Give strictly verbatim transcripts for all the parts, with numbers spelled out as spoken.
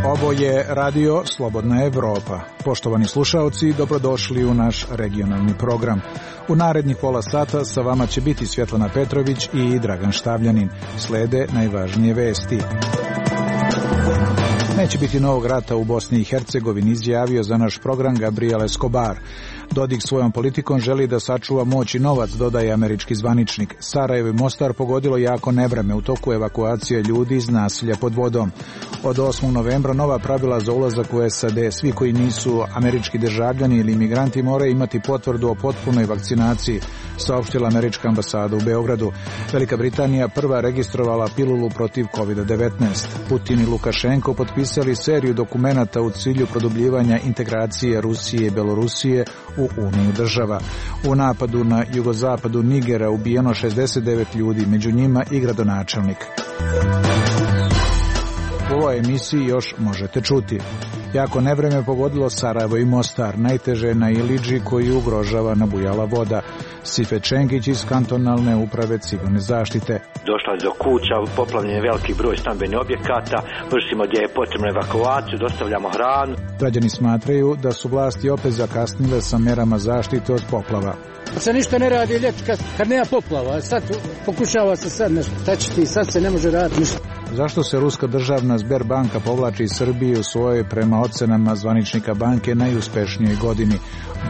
Ovo je Radio Slobodna Evropa. Poštovani slušaoci, dobrodošli u naš regionalni program. U narednih pola sata sa vama će biti Svjetlana Petrović i Dragan Štavljanin. Slede najvažnije vesti. Neće biti novog rata u Bosni i Hercegovini, izjavio za naš program Gabriel Escobar. Dodik svojom politikom želi da sačuva moć i novac, dodaje američki zvaničnik. Sarajevo i Mostar pogodilo jako nevreme u toku evakuacije ljudi iz nasilja pod vodom. Od osmog novembra nova pravila za ulazak u S A D. Svi koji nisu američki državljani ili imigranti moraju imati potvrdu o potpunoj vakcinaciji, saopštila američka ambasada u Beogradu. Velika Britanija prva registrovala pilulu protiv kovid devetnaest. Putin i Lukašenko potpisali seriju dokumenata u cilju produbljivanja integracije Rusije i Belorusije u Uniju država. U napadu na jugozapadu Nigera ubijeno šezdeset devet ljudi, među njima i gradonačelnik. U ovoj emisiji još možete čuti. Jako nevreme pogodilo Sarajevo i Mostar, najteže na Iliđi koji ugrožava nabujala voda. Sife Čengić iz kantonalne uprave civilne zaštite. Došla do kuća, poplavljen je veliki broj stambenih objekata, vršimo gdje je potrebna evakuaciju, dostavljamo hranu. Građani smatraju da su vlasti opet zakasnile sa merama zaštite od poplava. Se ništa ne radi ljeti kad, kad nema poplava, sad pokušava se sad nešto, tačiti, sad se ne može raditi ništa. Zašto se Ruska državna Sberbanka povlači iz Srbije u svojoj, prema ocenama zvaničnika banke, najuspešnijoj godini?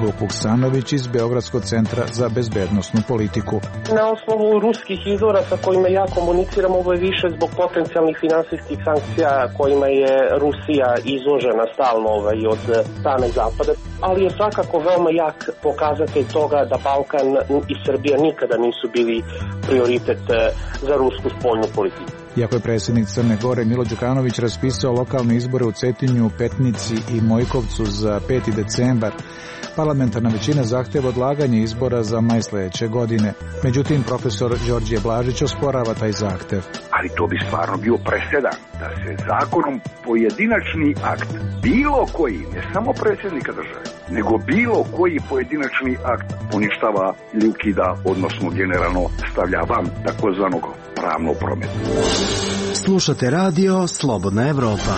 Vuk Vuksanović iz Beogradskog centra za bezbednosnu politiku. Na osnovu ruskih izvora sa kojima ja komuniciram, ovo je više zbog potencijalnih finansijskih sankcija kojima je Rusija izložena stalno ovaj, od strane Zapada, ali je svakako veoma jak pokazatelj toga da Balkan i Srbija nikada nisu bili prioritet za rusku spoljnu politiku. Iako je predsjednik Crne Gore Milo Đukanović raspisao lokalne izbore u Cetinju, Petnici i Mojkovcu za peti decembar, parlamentarna većina zahteva odlaganje izbora za maj sljedeće godine. Međutim, profesor Đorđe Blažić osporava taj zahtev. Ali to bi stvarno bio presedan da se zakonom pojedinačni akt, bilo koji, ne samo predsjednika države, nego bilo koji pojedinačni akt poništava ili ukida, odnosno generalno stavlja van takozvanog pravnog prometa. Slušate radio Slobodna Evropa.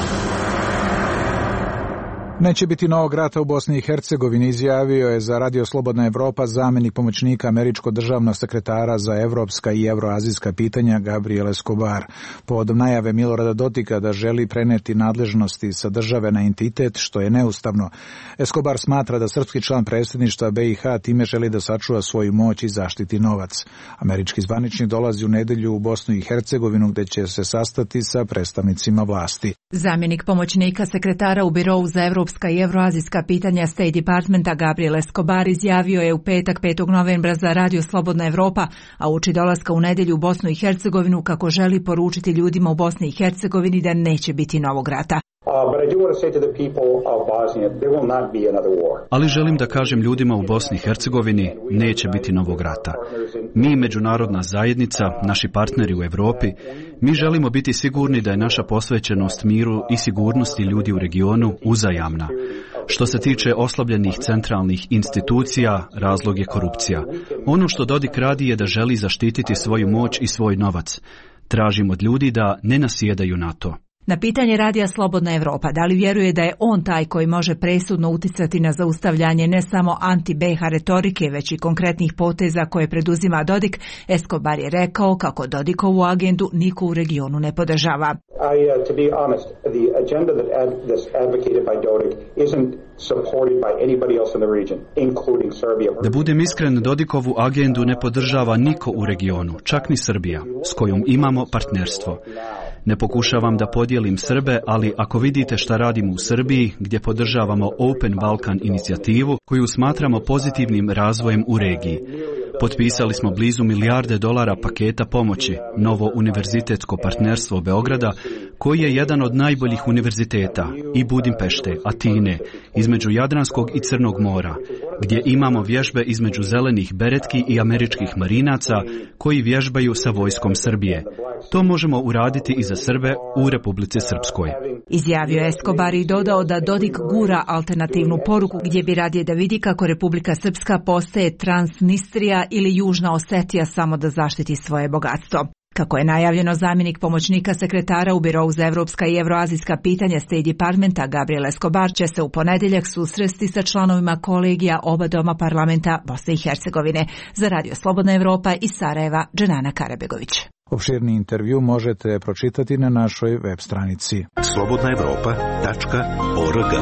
Neće biti novog rata u Bosni i Hercegovini, izjavio je za Radio Slobodna Evropa zamjenik pomoćnika američkog državnog sekretara za evropska i evroazijska pitanja Gabriel Escobar. Povodom najave Milorada Dodika da želi preneti nadležnosti sa države na entitet, što je neustavno. Escobar smatra da srpski član predsjedništva B i H time želi da sačuva svoju moć i zaštiti novac. Američki zvaničnik dolazi u nedelju u Bosnu i Hercegovinu gdje će se sastati sa predstavnicima vlasti. Zamjenik pomoćnika sekretara u Birovu za evropska i evroazijska pitanja State Departmenta Gabriel Escobar izjavio je u petak petog novembra za Radio Slobodna Evropa, a uoči dolaska u nedjelju u Bosnu i Hercegovinu kako želi poručiti ljudima u Bosni i Hercegovini da neće biti novog rata. Ali želim da kažem ljudima u Bosni i Hercegovini, neće biti novog rata. Mi, međunarodna zajednica, naši partneri u Europi, mi želimo biti sigurni da je naša posvećenost miru i sigurnosti ljudi u regionu uzajamna. Što se tiče oslabljenih centralnih institucija, razlog je korupcija. Ono što Dodik radi je da želi zaštititi svoju moć i svoj novac. Tražim od ljudi da ne nasjedaju na to. Na pitanje Radija Slobodna Evropa da li vjeruje da je on taj koji može presudno uticati na zaustavljanje ne samo anti-B i H retorike, već i konkretnih poteza koje preduzima Dodik, Escobar je rekao kako Dodikovu agendu niko u regionu ne podržava. Da budem iskren, Dodikovu agendu ne podržava niko u regionu, čak ni Srbija, s kojom imamo partnerstvo. Ne pokušavam da podijelim Srbe, ali ako vidite šta radimo u Srbiji, gdje podržavamo Open Balkan inicijativu, koju smatramo pozitivnim razvojem u regiji. Potpisali smo blizu milijarde dolara paketa pomoći, novo univerzitetsko partnerstvo Beograda, koji je jedan od najboljih univerziteta, i Budimpešte, Atine, između Jadranskog i Crnog mora, gdje imamo vježbe između zelenih beretki i američkih marinaca koji vježbaju sa vojskom Srbije. To možemo uraditi i za Srbe u Republici Srpskoj. Izjavio je Escobar i dodao da Dodik gura alternativnu poruku gdje bi radije da vidi kako Republika Srpska postaje Transnistrija ili Južna Osetija samo da zaštiti svoje bogatstvo. Kako je najavljeno, zamjenik pomoćnika sekretara u Birou za evropska i evroazijska pitanja State Departmenta Gabriel Escobar će se u ponedjeljak susresti sa članovima kolegija oba doma parlamenta Bosne i Hercegovine. Za Radio Slobodna Evropa iz Sarajeva, Dženana Karabegović. Opširni intervju možete pročitati na našoj web stranici slobodna evropa tačka org.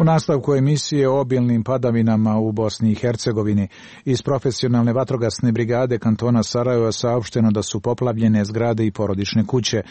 U nastavku emisije o obilnim padavinama u Bosni i Hercegovini iz profesionalne vatrogasne brigade kantona Sarajeva saopšteno da su poplavljene zgrade i porodične kuće.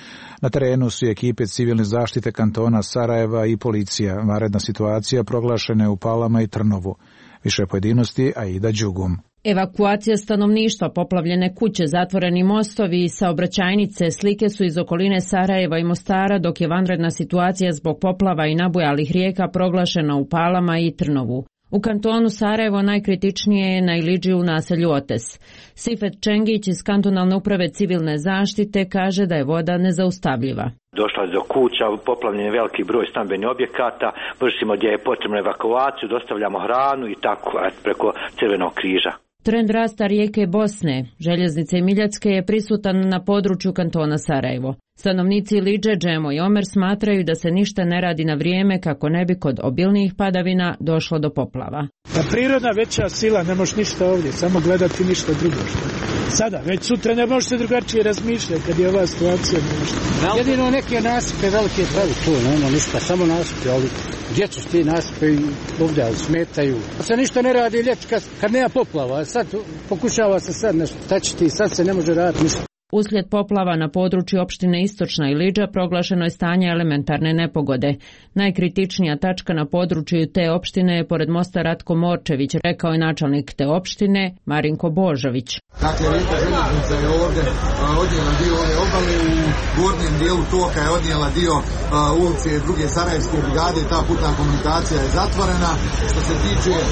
Na terenu su ekipe civilne zaštite kantona Sarajeva i policija. Vanredna situacija proglašena je u Palama i Trnovu. Više pojedinosti Aida Đugum. Evakuacija stanovništva, poplavljene kuće, zatvoreni mostovi i saobraćajnice slike su iz okoline Sarajeva i Mostara, dok je vanredna situacija zbog poplava i nabujalih rijeka proglašena u Palama i Trnovu. U kantonu Sarajevo najkritičnije je na Ilidži u naselju Otes. Sifet Čengić iz kantonalne uprave civilne zaštite kaže da je voda nezaustavljiva. Došla je do kuća, poplavljen je veliki broj stambenih objekata, vršimo gdje je potrebna evakuaciju, dostavljamo hranu i tako preko Crvenog križa. Trend rasta rijeke Bosne, željeznice Miljacke, je prisutan na području kantona Sarajevo. Stanovnici Ilidže, Džemo i Omer smatraju da se ništa ne radi na vrijeme kako ne bi kod obilnijih padavina došlo do poplava. Pa prirodna veća sila, ne možeš ništa ovdje, samo gledati ništa drugo. Sada, već sutra ne možete drugačije razmišljati kad je ova situacija. Jedino neke nasipe velike pravi tu, nema ništa, samo nasipe, ali gdje su ti nasipe ovdje, ali smetaju. Se ništa ne radi ljeti kad, kad nema poplava, sad pokušava se sad nešto, šta će ti, sad se ne može raditi ništa. Uslijed poplava na području opštine Istočna Ilidža proglašeno je stanje elementarne nepogode. Najkritičnija tačka na području te opštine je pored mosta Ratko Morčević, rekao je načelnik te opštine Marinko Božović. Dakle, rijeka željeznica je ovdje odnijela dio ove obale, u gornjem dijelu toka je odnijela dio uh, ulice druge Sarajevske brigade, ta putna komunikacija je zatvorena. Što se tiče uh,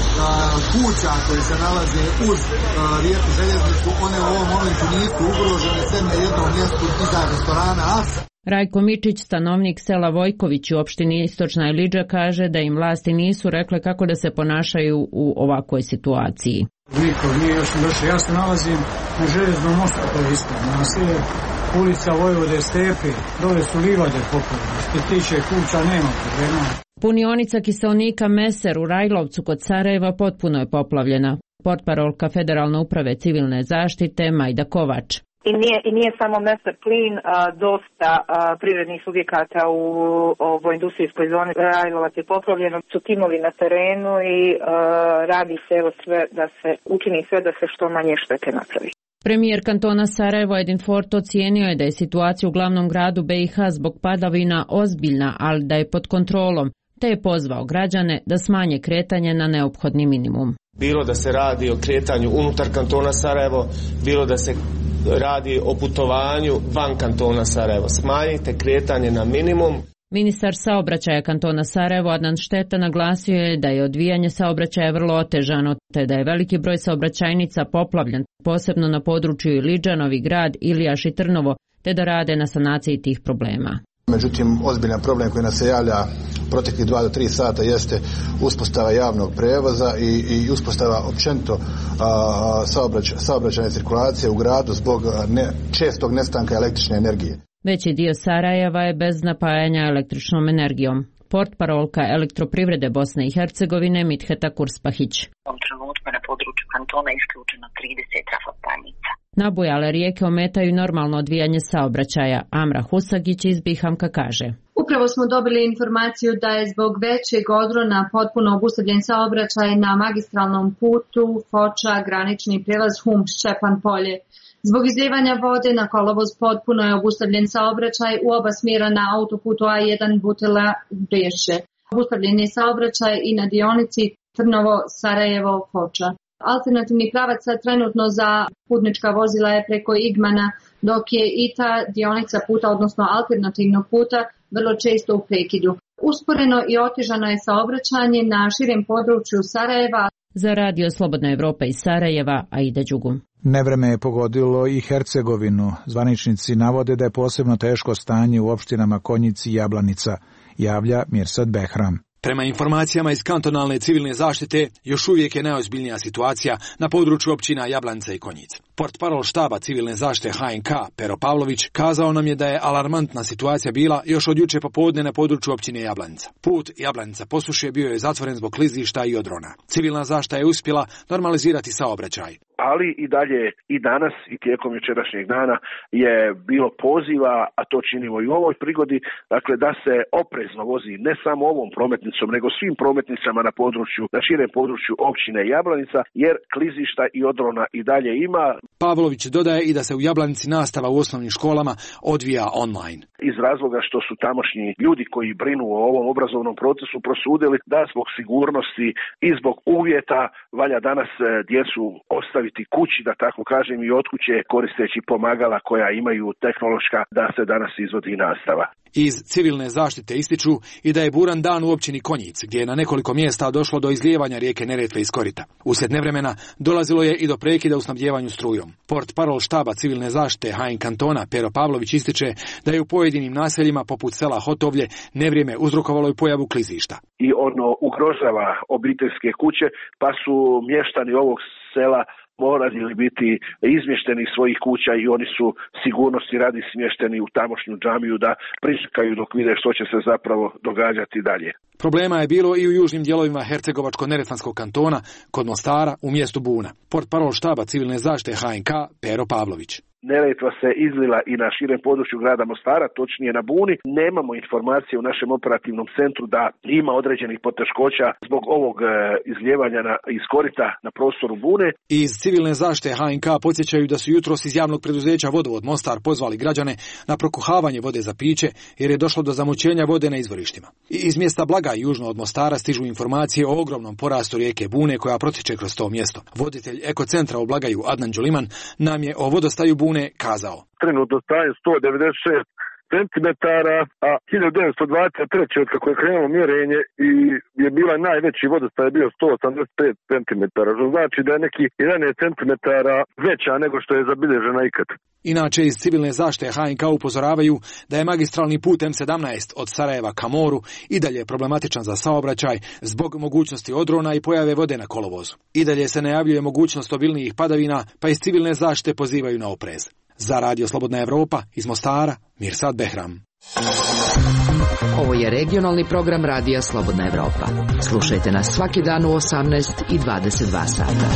kuća koje se nalaze uz uh, rijeku željeznicu, one u ovom momentu nisu ugrožene, sve na jednom mjestu iza restorana As. Rajko Mičić, stanovnik sela Vojković u opštini Istočna Ilidža, kaže da im vlasti nisu rekle kako da se ponašaju u ovakvoj situaciji. Niko nije još došao. Ja se nalazim na željeznom mostu koji je ispred naselja, ulica Vojvode Stepe, dole su livade poplavljene. Što se tiče kuća nema problema. Punionica kiselnika Meser u Rajlovcu kod Sarajeva potpuno je poplavljena. Portparolka Federalne uprave civilne zaštite Majda Kovač. I nije, i nije samo Meser plin, a, dosta a, privrednih subjekata u ovoj industrijskoj zoni Rajlovac je poplavljeno, su timovi na terenu i a, radi se evo sve da se učini sve da se što manje štete napravi. Premijer kantona Sarajevo Edin Fort ocijenio je da je situacija u glavnom gradu B i H zbog padavina ozbiljna, ali da je pod kontrolom, te je pozvao građane da smanje kretanje na neophodni minimum. Bilo da se radi o kretanju unutar kantona Sarajevo, bilo da se radi o putovanju van kantona Sarajevo. Smanjite kretanje na minimum. Ministar saobraćaja kantona Sarajevo Adnan Šteta naglasio je da je odvijanje saobraćaja vrlo otežano, te da je veliki broj saobraćajnica poplavljen, posebno na području Ilidža, Novi Grad, Ilijaš i Trnovo, te da rade na sanaciji tih problema. Međutim, ozbiljan problem koji nas se javlja proteklih dva do tri sata jeste uspostava javnog prevoza i, i uspostava općenito saobraća, saobraćajne cirkulacije u gradu zbog ne, čestog nestanka električne energije. Veći dio Sarajeva je bez napajanja električnom energijom. Portparolka Elektroprivrede Bosne i Hercegovine Mitheta Kurspahić. U ovom trenutku na području kantona isključeno trideset trafostanica. Nabujale rijeke ometaju normalno odvijanje saobraćaja. Amra Husagić iz Bihamka kaže. Upravo smo dobili informaciju da je zbog većeg odrona potpuno obustavljen saobraćaj na magistralnom putu Foča, granični prijelaz Hum-Ščepan polje. Zbog izlijevanja vode na kolovoz potpuno je obustavljen saobraćaj u oba smjera na autoputu A jedan Butela Breše. Obustavljen je saobraćaj i na dionici Trnovo-Sarajevo-Foča. Alternativni pravac trenutno za putnička vozila je preko Igmana, dok je i ta dionica puta, odnosno alternativnog puta, vrlo često u prekidu. Usporeno i otežano je saobraćanje na širem području Sarajeva. Za Radio Slobodna Evropa iz Sarajeva, Aida Đugum. Nevreme je pogodilo i Hercegovinu. Zvaničnici navode da je posebno teško stanje u opštinama Konjic i Jablanica, javlja Mirsad Behram. Prema informacijama iz kantonalne civilne zaštite, još uvijek je najozbiljnija situacija na području općina Jablanca i Konjic. Portparol štaba civilne zaštite H N K Pero Pavlović kazao nam je da je alarmantna situacija bila još od juče popodne na području općine Jablanca. Put Jablanca posuše bio je zatvoren zbog klizišta i odrona. Civilna zaštita je uspjela normalizirati saobraćaj. Ali i dalje i danas i tijekom jučerašnjeg dana je bilo poziva, a to činimo i u ovoj prigodi, dakle da se oprezno vozi ne samo ovom prometnicom, nego svim prometnicama na području, na širem području općine Jablanica, jer klizišta i odrona i dalje ima. Pavlović dodaje i da se u Jablanici nastava u osnovnim školama odvija online. Iz razloga što su tamošnji ljudi koji brinu o ovom obrazovnom procesu prosudili da zbog sigurnosti i zbog uvjeta valja danas djecu ostaviti kući, da tako kažem, i od kuće koristeći pomagala koja imaju tehnološka, da se danas izvodi nastava. Iz civilne zaštite ističu i da je buran dan u općini Konjic, gdje je na nekoliko mjesta došlo do izlijevanja rijeke Neretve iz korita. Uslijed nevremena dolazilo je i do prekida u snabdjevanju strujom. Portparol štaba civilne zaštite H N kantona Pero Pavlović ističe da je u pojedinim naseljima poput sela Hotovlje nevrijeme uzrokovalo i pojavu klizišta. I ono ugrožava obiteljske kuće, pa su mještani ovog sela morali biti izmješteni iz svojih kuća i oni su sigurnosti radi smješteni u tamošnju džamiju da pričekaju dok vide što će se zapravo događati dalje. Problema je bilo i u južnim dijelovima Hercegovačko-neretvanskog kantona, kod Mostara u mjestu Buna. Portparol štaba civilne zaštite H N K Pero Pavlović. Neretva se izlila i na širem području grada Mostara, točnije na Buni. Nemamo informacije u našem operativnom centru da ima određenih poteškoća zbog ovog e, izljevanja na, iz korita na prostoru Bune. Iz civilne zaštite H N K podsjećaju da su jutros iz javnog preduzeća Vodovod Mostar pozvali građane na prokuhavanje vode za piće jer je došlo do zamućenja vode na izvorištima. I iz mjesta Blaga južno od Mostara stižu informacije o ogromnom porastu rijeke Bune koja protječe kroz to mjesto. Voditelj ekocentra u Blagaju Adnan Đuliman nam je o vodostaju Bune kazao. Trenutno staje sto devedeset šest centimetara, a hiljadu devetsto dvadeset treće od kako je krenulo mjerenje i je bila najveći vodostaj je bio sto osamdeset pet centimetara, što znači da je neki jedanaest centimetara veća nego što je zabilježena ikad. Inače, iz civilne zaštite H N K upozoravaju da je magistralni put M sedamnaest od Sarajeva ka moru i dalje problematičan za saobraćaj zbog mogućnosti odrona i pojave vode na kolovozu. I dalje se najavljuje mogućnost obilnijih padavina, pa iz civilne zaštite pozivaju na oprez. Za Radio Slobodna Evropa iz Mostara, Mirsad Behram. Ovo je regionalni program Radija Slobodna Evropa. Slušajte nas svaki dan u osamnaest i dvadeset dva sata.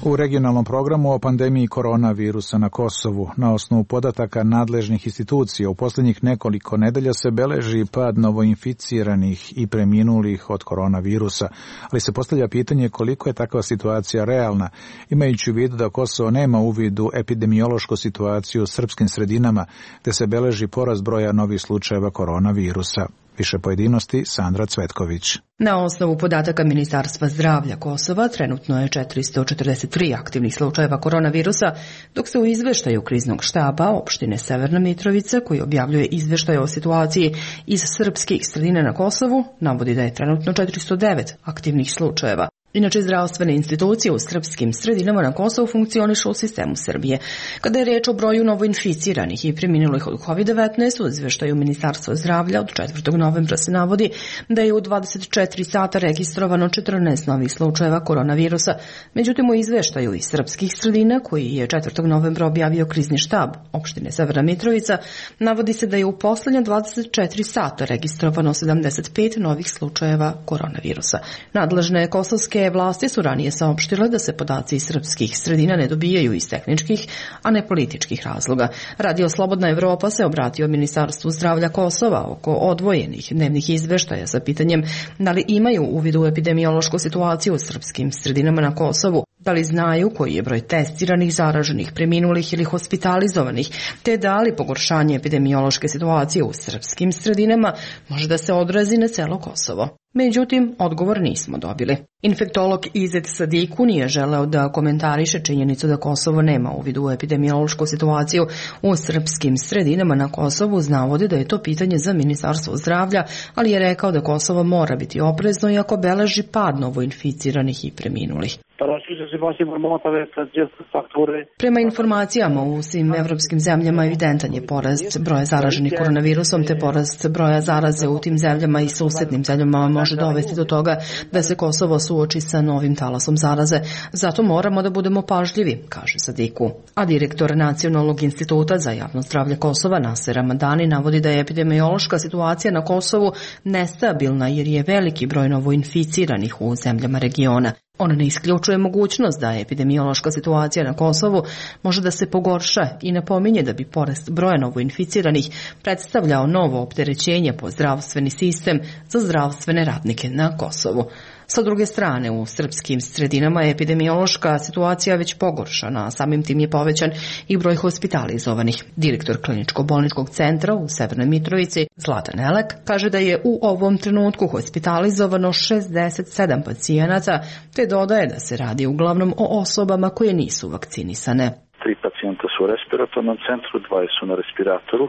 U regionalnom programu o pandemiji koronavirusa na Kosovu, na osnovu podataka nadležnih institucija, u posljednjih nekoliko nedelja se beleži pad novoinficiranih i preminulih od koronavirusa, ali se postavlja pitanje koliko je takva situacija realna, imajući u vidu da Kosovo nema uvid u epidemiološku situaciju u srpskim sredinama, te se beleži porast broja novih slučajeva koronavirusa. Više pojedinosti Sandra Cvetković. Na osnovu podataka Ministarstva zdravlja Kosova trenutno je četiristo četrdeset tri aktivnih slučajeva koronavirusa, dok se u izveštaju kriznog štaba opštine Severna Mitrovica, koji objavljuje izveštaj o situaciji iz srpskih sredina na Kosovu, navodi da je trenutno četiristo devet aktivnih slučajeva. Inače, zdravstvene institucije u srpskim sredinama na Kosovu funkcionišu u sistemu Srbije. Kada je riječ o broju novoinficiranih i preminulih od kovid devetnaest, u izveštaju Ministarstva zdravlja od četvrtog novembra se navodi da je u dvadeset četiri sata registrovano četrnaest novih slučajeva koronavirusa. Međutim, u izveštaju iz srpskih sredina, koji je četvrtog novembra objavio krizni štab opštine Severna Mitrovica, navodi se da je u posljednja dvadeset četiri sata registrovano sedamdeset pet novih slučajeva koronavirusa. Nadležne kosovske vlasti su ranije saopštile da se podaci iz srpskih sredina ne dobijaju iz tehničkih, a ne političkih razloga. Radio Slobodna Evropa se obratio Ministarstvu zdravlja Kosova oko odvojenih dnevnih izveštaja sa pitanjem da li imaju uvid u epidemiološku situaciju u srpskim sredinama na Kosovu, da li znaju koji je broj testiranih, zaraženih, preminulih ili hospitalizovanih, te da li pogoršanje epidemiološke situacije u srpskim sredinama može da se odrazi na celo Kosovo. Međutim, odgovor nismo dobili. Infektolog Izet Sadiku nije želeo da komentariše činjenicu da Kosovo nema uvid u epidemiološku situaciju u srpskim sredinama na Kosovu, navodi da je to pitanje za Ministarstvo zdravlja, ali je rekao da Kosovo mora biti oprezno iako beleži pad novoinficiranih i preminulih. Prema informacijama u svim evropskim zemljama evidentan je porast broja zaraženih koronavirusom, te porast broja zaraze u tim zemljama i susednim zemljama može dovesti do toga da se Kosovo suoči sa novim talasom zaraze. Zato moramo da budemo pažljivi, kaže Sadiku. A direktor Nacionalnog instituta za javno zdravlje Kosova, Naser Ramadani, navodi da je epidemiološka situacija na Kosovu nestabilna jer je veliki broj novoinficiranih u zemljama regiona. On ne isključuje mogućnost da epidemiološka situacija na Kosovu može da se pogorša i napominje da bi porast broja novoinficiranih predstavljao novo opterećenje po zdravstveni sistem za zdravstvene radnike na Kosovu. Sa druge strane, u srpskim sredinama je epidemiološka situacija već pogoršana, a samim tim je povećan i broj hospitalizovanih. Direktor kliničko-bolničkog centra u Severnoj Mitrovici, Zlatan Elek, kaže da je u ovom trenutku hospitalizovano šezdeset sedam pacijenata, te dodaje da se radi uglavnom o osobama koje nisu vakcinisane. Tri pacijenta su u respiratornom centru, dva su na respiratoru,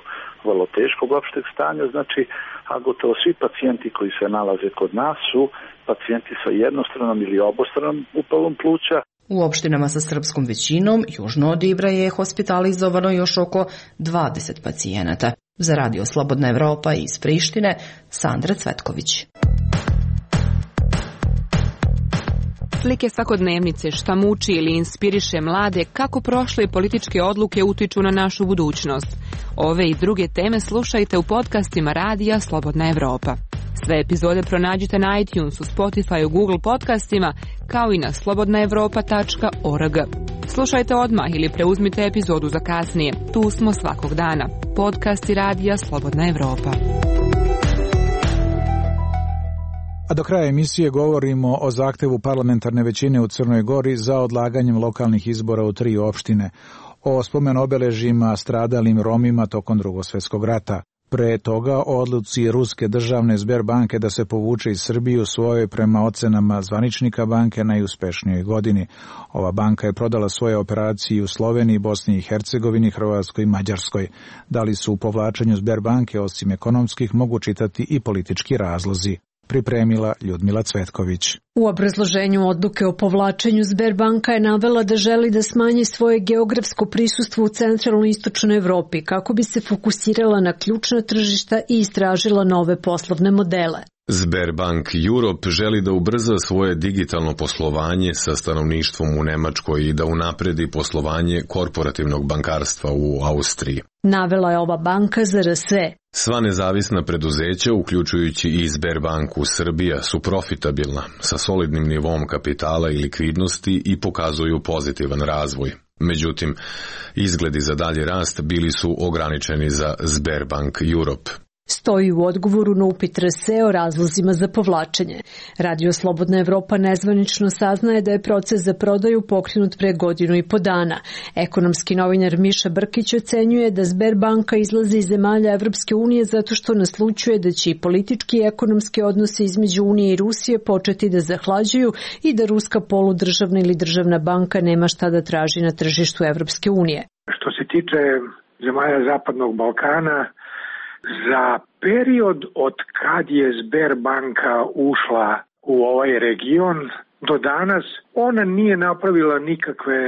vrlo teškog opšteg stanja, znači, a gotovo svi pacijenti koji se nalaze kod nas su pacijenti sa jednostranom ili obostranom upalom pluća. U opštinama sa srpskom većinom, južno od Ibra, je hospitalizovano još oko dvadeset pacijenata. Za Radio Slobodna Evropa iz Prištine, Sandra Cvetković. Slike svakodnevnice, šta muči ili inspiriše mlade, kako prošle političke odluke utiču na našu budućnost. Ove i druge teme slušajte u podcastima Radija Slobodna Evropa. Sve epizode pronađite na iTunesu, Spotifyu, Google podcastima, kao i na slobodna evropa tačka org. Slušajte odmah ili preuzmite epizodu za kasnije. Tu smo svakog dana. Podcasti Radija Slobodna Evropa. A do kraja emisije govorimo o zahtevu parlamentarne većine u Crnoj Gori za odlaganjem lokalnih izbora u tri opštine, o spomen obeležjima stradalim Romima tokom Drugog svjetskog rata. Pre toga o odluci ruske državne Sberbanke da se povuče iz Srbije u svojoj, prema ocenama zvaničnika banke, najuspešnijoj godini. Ova banka je prodala svoje operacije u Sloveniji, Bosni i Hercegovini, Hrvatskoj i Mađarskoj. Da li su u povlačenju Sberbanke osim ekonomskih mogu čitati i politički razlozi? Pripremila Ljudmila Cvetković. U obrazloženju odluke o povlačenju Sberbanka je navela da želi da smanji svoje geografsko prisustvo u centralnoj i istočnoj Evropi kako bi se fokusirala na ključna tržišta i istražila nove poslovne modele. Sberbank Europe želi da ubrza svoje digitalno poslovanje sa stanovništvom u Nemačkoj i da unapredi poslovanje korporativnog bankarstva u Austriji. Navela je ova banka za R S E. Sva nezavisna preduzeća, uključujući i Sberbanku Srbija, su profitabilna, sa solidnim nivom kapitala i likvidnosti i pokazuju pozitivan razvoj. Međutim, izgledi za dalji rast bili su ograničeni za Sberbank Europe. Stoji u odgovoru na upit R S E o razlozima za povlačenje. Radio Slobodna Evropa nezvanično saznaje da je proces za prodaju pokrenut pre godinu i po dana. Ekonomski novinar Miša Brkić ocenjuje da Sberbanka izlazi iz zemalja Evropske unije zato što naslućuje da će i politički i ekonomski odnosi između Unije i Rusije početi da zahlađuju i da ruska poludržavna ili državna banka nema šta da traži na tržištu Evropske unije. Što se tiče zemalja Zapadnog Balkana, za period od kad je Sberbanka ušla u ovaj region do danas, ona nije napravila nikakve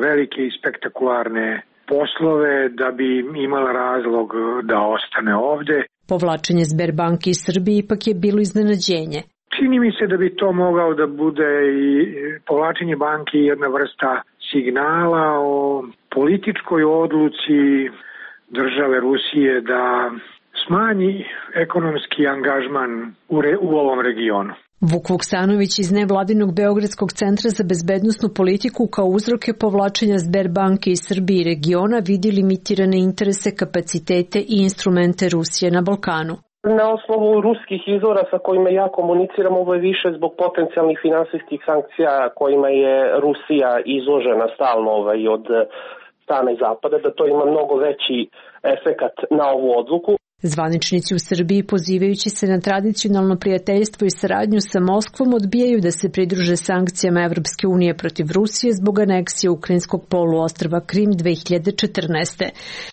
velike i spektakularne poslove da bi imala razlog da ostane ovde. Povlačenje Sberbanke iz Srbije ipak je bilo iznenađenje. Čini mi se da bi to mogao da bude i povlačenje banke jedna vrsta signala o političkoj odluci države Rusije da smanji ekonomski angažman u, re, u ovom regionu. Vuk Vuksanović iz nevladinog Beogradskog centra za bezbednosnu politiku kao uzroke povlačenja Sberbanke iz Srbije i regiona vidi limitirane interese, kapacitete i instrumente Rusije na Balkanu. Na osnovu ruskih izvora sa kojima ja komuniciram, ovo je više zbog potencijalnih finansijskih sankcija kojima je Rusija izložena stalno ovaj, od strane Zapada, da to ima mnogo veći efekat na ovu odluku. Zvaničnici u Srbiji, pozivajući se na tradicionalno prijateljstvo i saradnju sa Moskvom, odbijaju da se pridruže sankcijama Evropske unije protiv Rusije zbog aneksije ukrajinskog poluostrva Krim dve hiljade četrnaeste.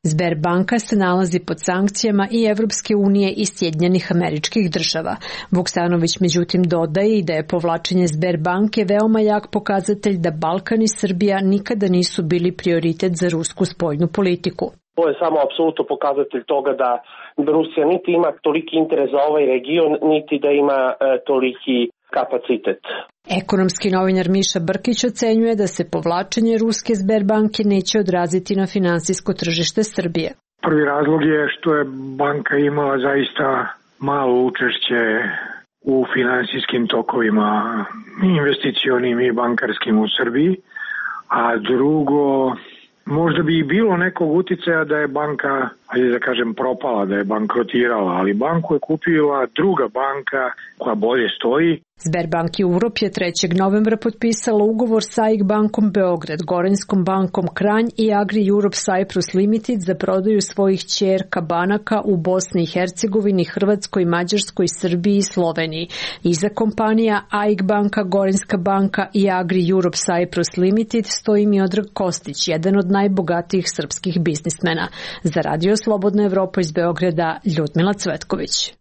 Sberbanka se nalazi pod sankcijama i Evropske unije i Sjedinjenih Američkih Država. Vuksanović međutim dodaje i da je povlačenje Sberbanke veoma jak pokazatelj da Balkan i Srbija nikada nisu bili prioritet za rusku spoljnu politiku. To je samo apsolutno pokazatelj toga da Rusija niti ima toliki interes za ovaj region, niti da ima e, toliki kapacitet. Ekonomski novinar Miša Brkić ocenjuje da se povlačenje ruske Sberbanke neće odraziti na finansijsko tržište Srbije. Prvi razlog je što je banka imala zaista malo učešće u finansijskim tokovima investicionim i bankarskim u Srbiji, a drugo, možda bi i bilo nekog uticaja da je banka, ajde da kažem, propala, da je bankrotirala, ali banku je kupila druga banka koja bolje stoji. Sberbank Europe je trećeg novembra potpisala ugovor sa A I K bankom Beograd, Gorenjskom bankom Kranj i Agri Europe Cyprus Limited za prodaju svojih ćerka banaka u Bosni i Hercegovini, Hrvatskoj, Mađarskoj, Srbiji i Sloveniji. Iza kompanija A I K banka, Gorenjska banka i Agri Europe Cyprus Limited stoji Miodrag Kostić, jedan od najbogatijih srpskih biznismena. Za Radio Slobodna Evropa iz Beograda, Ljudmila Cvetković.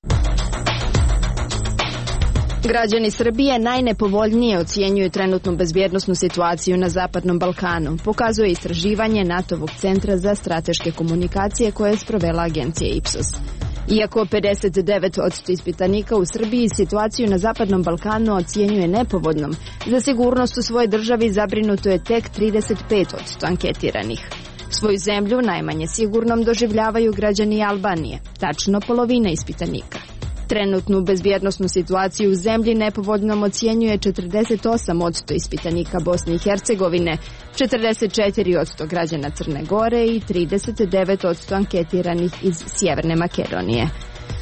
Građani Srbije najnepovoljnije ocjenjuju trenutnu bezbjednosnu situaciju na Zapadnom Balkanu, pokazuje istraživanje NATO-vog centra za strateške komunikacije koje je sprovela agencija Ipsos. Iako pedeset devet posto ispitanika u Srbiji situaciju na Zapadnom Balkanu ocjenjuje nepovoljnom, za sigurnost u svojoj državi zabrinuto je tek trideset pet posto anketiranih. Svoju zemlju najmanje sigurnom doživljavaju građani Albanije, tačno polovina ispitanika. Trenutnu bezbjednosnu situaciju u zemlji nepovoljnom ocjenjuje četrdeset osam posto ispitanika Bosne i Hercegovine, četrdeset četiri posto građana Crne Gore i trideset devet posto anketiranih iz Sjeverne Makedonije.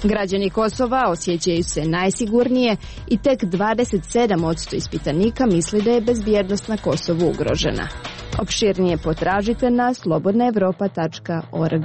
Građani Kosova osjećaju se najsigurnije i tek dvadeset sedam posto ispitanika misli da je bezbjednost na Kosovu ugrožena. Opširnije potražite na slobodna evropa tačka org.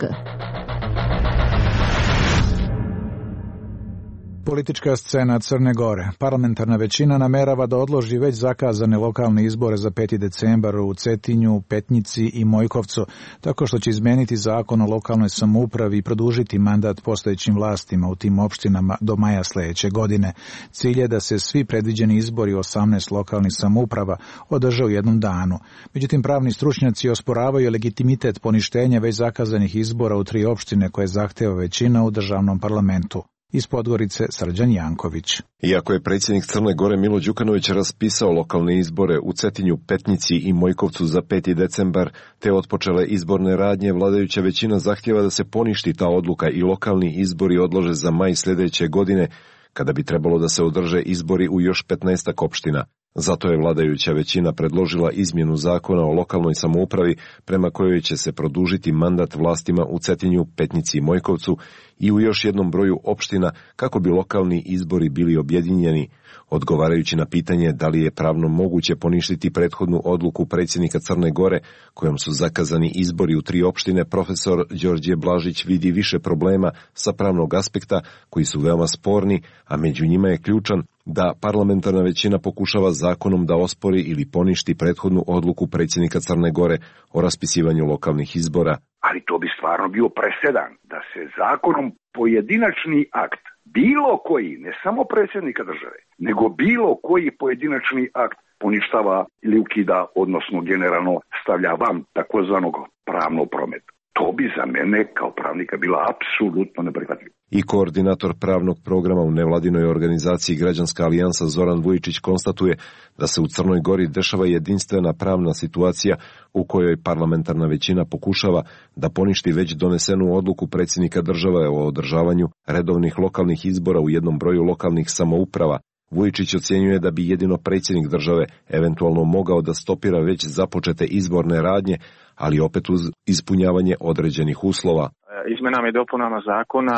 Politička scena Crne Gore. Parlamentarna većina namerava da odloži već zakazane lokalne izbore za peti decembar u Cetinju, Petnici i Mojkovcu, tako što će izmeniti zakon o lokalnoj samoupravi i produžiti mandat postojećim vlastima u tim opštinama do maja sledeće godine. Cilj je da se svi predviđeni izbori osamnaest lokalnih samouprava održe u jednom danu. Međutim, pravni stručnjaci osporavaju legitimitet poništenja već zakazanih izbora u tri opštine koje zahteva većina u državnom parlamentu. Iz Podgorice Srđan Janković. Iako je predsjednik Crne Gore Milo Đukanović raspisao lokalne izbore u Cetinju, Petnici i Mojkovcu za peti decembar, te otpočele izborne radnje, vladajuća većina zahtjeva da se poništi ta odluka i lokalni izbori odlože za maj sljedeće godine, kada bi trebalo da se održe izbori u još petnaestak opština. Zato je vladajuća većina predložila izmjenu zakona o lokalnoj samoupravi prema kojoj će se produžiti mandat vlastima u Cetinju, Petnici i Mojkovcu i u još jednom broju opština kako bi lokalni izbori bili objedinjeni. Odgovarajući na pitanje da li je pravno moguće poništiti prethodnu odluku predsjednika Crne Gore kojom su zakazani izbori u tri opštine, profesor Đorđe Blažić vidi više problema sa pravnog aspekta koji su veoma sporni, a među njima je ključan da parlamentarna većina pokušava zakonom da ospori ili poništi prethodnu odluku predsjednika Crne Gore o raspisivanju lokalnih izbora. Ali to bi stvarno bio presedan da se zakonom pojedinačni akt, bilo koji, ne samo predsjednika države, nego bilo koji pojedinačni akt poništava ili ukida, odnosno generalno stavlja van takozvanog pravnog prometa. To bi za mene kao pravnika bila apsolutno neprihvatljivo. I koordinator pravnog programa u nevladinoj organizaciji Građanska alijansa Zoran Vujičić konstatuje da se u Crnoj Gori dešava jedinstvena pravna situacija u kojoj parlamentarna većina pokušava da poništi već donesenu odluku predsjednika države o održavanju redovnih lokalnih izbora u jednom broju lokalnih samouprava. Vujičić ocjenjuje da bi jedino predsjednik države eventualno mogao da stopira već započete izborne radnje, ali opet uz ispunjavanje određenih uslova. Izmenama i dopunama zakona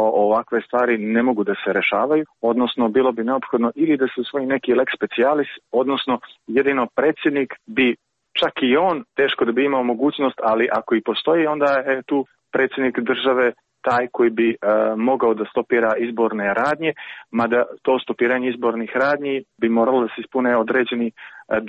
o ovakve stvari ne mogu da se rešavaju, odnosno bilo bi neophodno ili da se usvoji neki lex specialis, odnosno jedino predsjednik bi, čak i on, teško da bi imao mogućnost, ali ako i postoji, onda je tu predsjednik države taj koji bi e, mogao da stopira izborne radnje, mada to stopiranje izbornih radnji bi moralo da se ispune određeni e,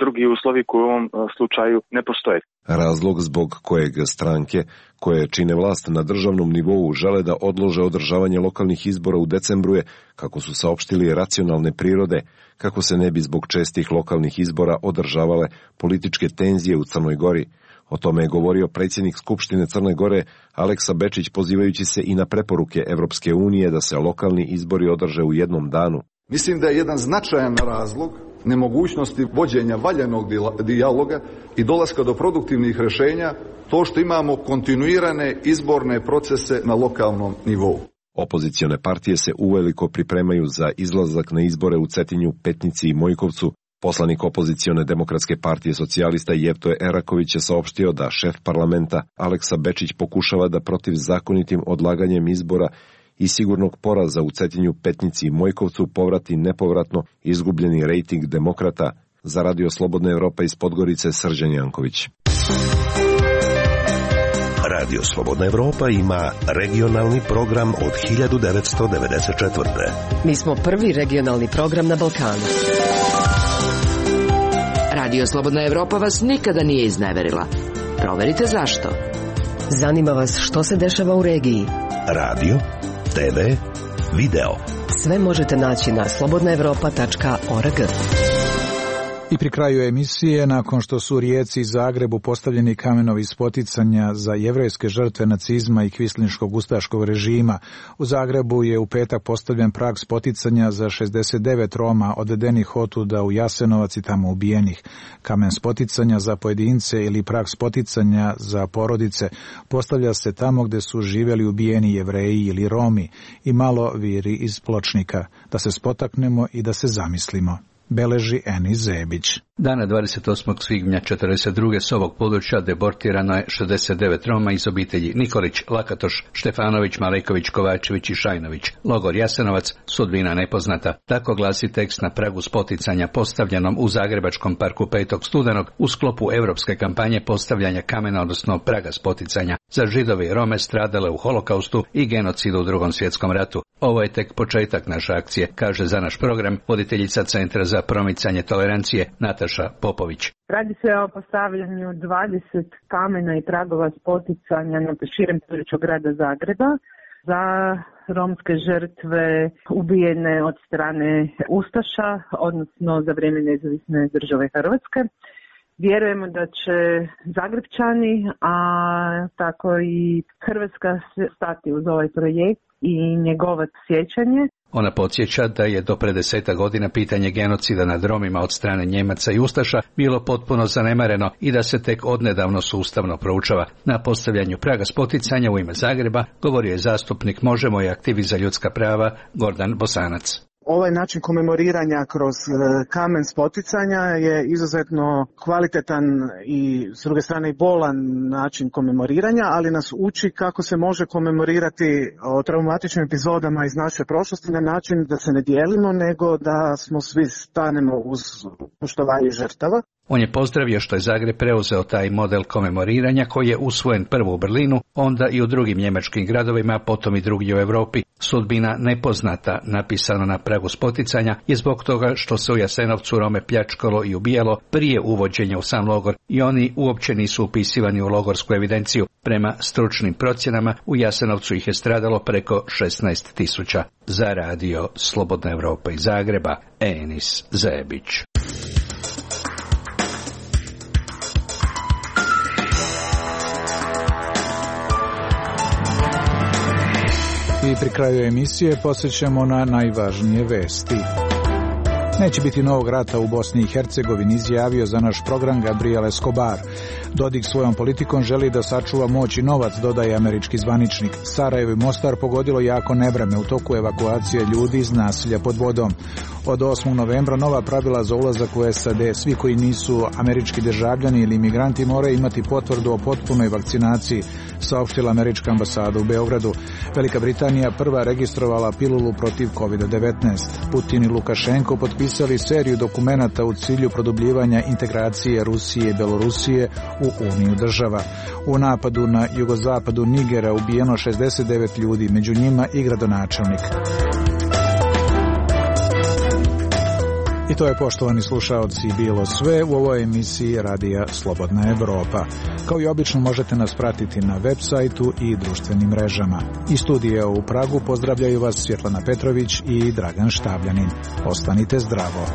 drugi uslovi koji u ovom e, slučaju ne postoje. Razlog zbog kojeg stranke koje čine vlast na državnom nivou žele da odlože održavanje lokalnih izbora u decembru je, kako su saopštili, racionalne prirode, kako se ne bi zbog čestih lokalnih izbora održavale političke tenzije u Crnoj Gori. O tome je govorio predsjednik Skupštine Crne Gore Aleksa Bečić, pozivajući se i na preporuke Evropske unije da se lokalni izbori održe u jednom danu. Mislim da je jedan značajan razlog nemogućnosti vođenja valjanog dijaloga i dolaska do produktivnih rješenja to što imamo kontinuirane izborne procese na lokalnom nivou. Opozicione partije se uveliko pripremaju za izlazak na izbore u Cetinju, Petnici i Mojkovcu. Poslanik opozicione demokratske partije socijalista Jevtoje Eraković je saopštio da šef parlamenta Aleksa Bečić pokušava da protiv zakonitim odlaganjem izbora i sigurnog poraza u Cetinju, Petnici i Mojkovcu povrati nepovratno izgubljeni rejting demokrata. Za Radio Slobodna Evropa iz Podgorice, Srđan Janković. Radio Slobodna Evropa ima regionalni program od hiljadu devetsto devedeset četvrte. Mi smo prvi regionalni program na Balkanu. Radio Slobodna Evropa vas nikada nije izneverila. Proverite zašto. Zanima vas što se dešava u regiji. Radio, te ve, video. Sve možete naći na slobodna evropa tačka org. I pri kraju emisije, nakon što su u Rijeci i Zagrebu postavljeni kamenovi spoticanja za jevrejske žrtve nacizma i kvislinškog ustaškog režima, u Zagrebu je u petak postavljen prag spoticanja za šezdeset devet Roma odvedenih otuda u Jasenovac i tamo ubijenih. Kamen spoticanja za pojedince ili prag spoticanja za porodice postavlja se tamo gde su živjeli ubijeni Jevreji ili Romi i malo viri iz Pločnika, da se spotaknemo i da se zamislimo. Beleži Eni Zebić. Dana dvadeset osmog svibnja četrdeset druge s ovog područja deportirano je šezdeset devet Roma iz obitelji Nikolić, Lakatoš, Štefanović, Maleković, Kovačević i Šajnović. Logor Jasenovac, sudbina nepoznata. Tako glasi tekst na pragu spoticanja postavljenom u Zagrebačkom parku petog studenog u sklopu evropske kampanje postavljanja kamena, odnosno praga spoticanja za Židove i Rome stradale u holokaustu i genocidu u Drugom svjetskom ratu. Ovo je tek početak naše akcije, kaže za naš program voditeljica Centra za promicanje tolerancije Nataša Popović. Radi se o postavljanju dvadeset kamena i pragova spoticanja na širem području grada Zagreba za romske žrtve ubijene od strane ustaša, odnosno za vrijeme nezavisne države Hrvatske. Vjerujemo da će Zagrebčani, a tako i Hrvatska stati uz ovaj projekt i njegovati sjećanje. Ona podsjeća da je do pre deseta godina pitanje genocida nad Romima od strane Njemaca i Ustaša bilo potpuno zanemareno i da se tek odnedavno sustavno proučava. Na postavljanju praga spoticanja u ime Zagreba govorio je zastupnik Možemo i aktivist za ljudska prava Gordan Bosanac. Ovaj način komemoriranja kroz kamen spoticanja je izuzetno kvalitetan i s druge strane i bolan način komemoriranja, ali nas uči kako se može komemorirati o traumatičnim epizodama iz naše prošlosti na način da se ne dijelimo, nego da smo svi stanemo uz poštovanje žrtava. On je pozdravio što je Zagreb preuzeo taj model komemoriranja koji je usvojen prvo u Berlinu, onda i u drugim njemačkim gradovima, potom i drugdje u Europi. Sudbina nepoznata, napisano na pragu spoticanja, je zbog toga što se u Jasenovcu Rome pljačkalo i ubijalo prije uvođenja u sam logor i oni uopće nisu upisivani u logorsku evidenciju. Prema stručnim procjenama u Jasenovcu ih je stradalo preko šesnaest tisuća. Za radio Slobodna Evropa iz Zagreba, Enis Zebić. I pri kraju emisije posjećamo na najvažnije vesti. Neće biti novog rata u Bosni i Hercegovini, izjavio za naš program Gabriel Escobar. Dodik svojom politikom želi da sačuva moć i novac, dodaje američki zvaničnik. Sarajevo i Mostar pogodilo jako nevreme u toku evakuacije ljudi iz nasilja pod vodom. Od osmog novembra nova pravila za ulazak u S A D. Svi koji nisu američki državljani ili imigranti moraju imati potvrdu o potpunoj vakcinaciji, saopštila američka ambasada u Beogradu. Velika Britanija prva registrovala pilulu protiv kovid devetnaest. Putin i Lukašenko potpisali seriju dokumenata u cilju produbljivanja integracije Rusije i Belorusije u Uniju država. U napadu na jugozapadu Nigera ubijeno šezdeset devet ljudi, među njima i gradonačelnik. I to je, poštovani slušaoci, bilo sve u ovoj emisiji Radija Slobodna Evropa. Kao i obično možete nas pratiti na web sajtu i društvenim mrežama. Iz studija u Pragu pozdravljaju vas Svjetlana Petrović i Dragan Štabljanin. Ostanite zdravo.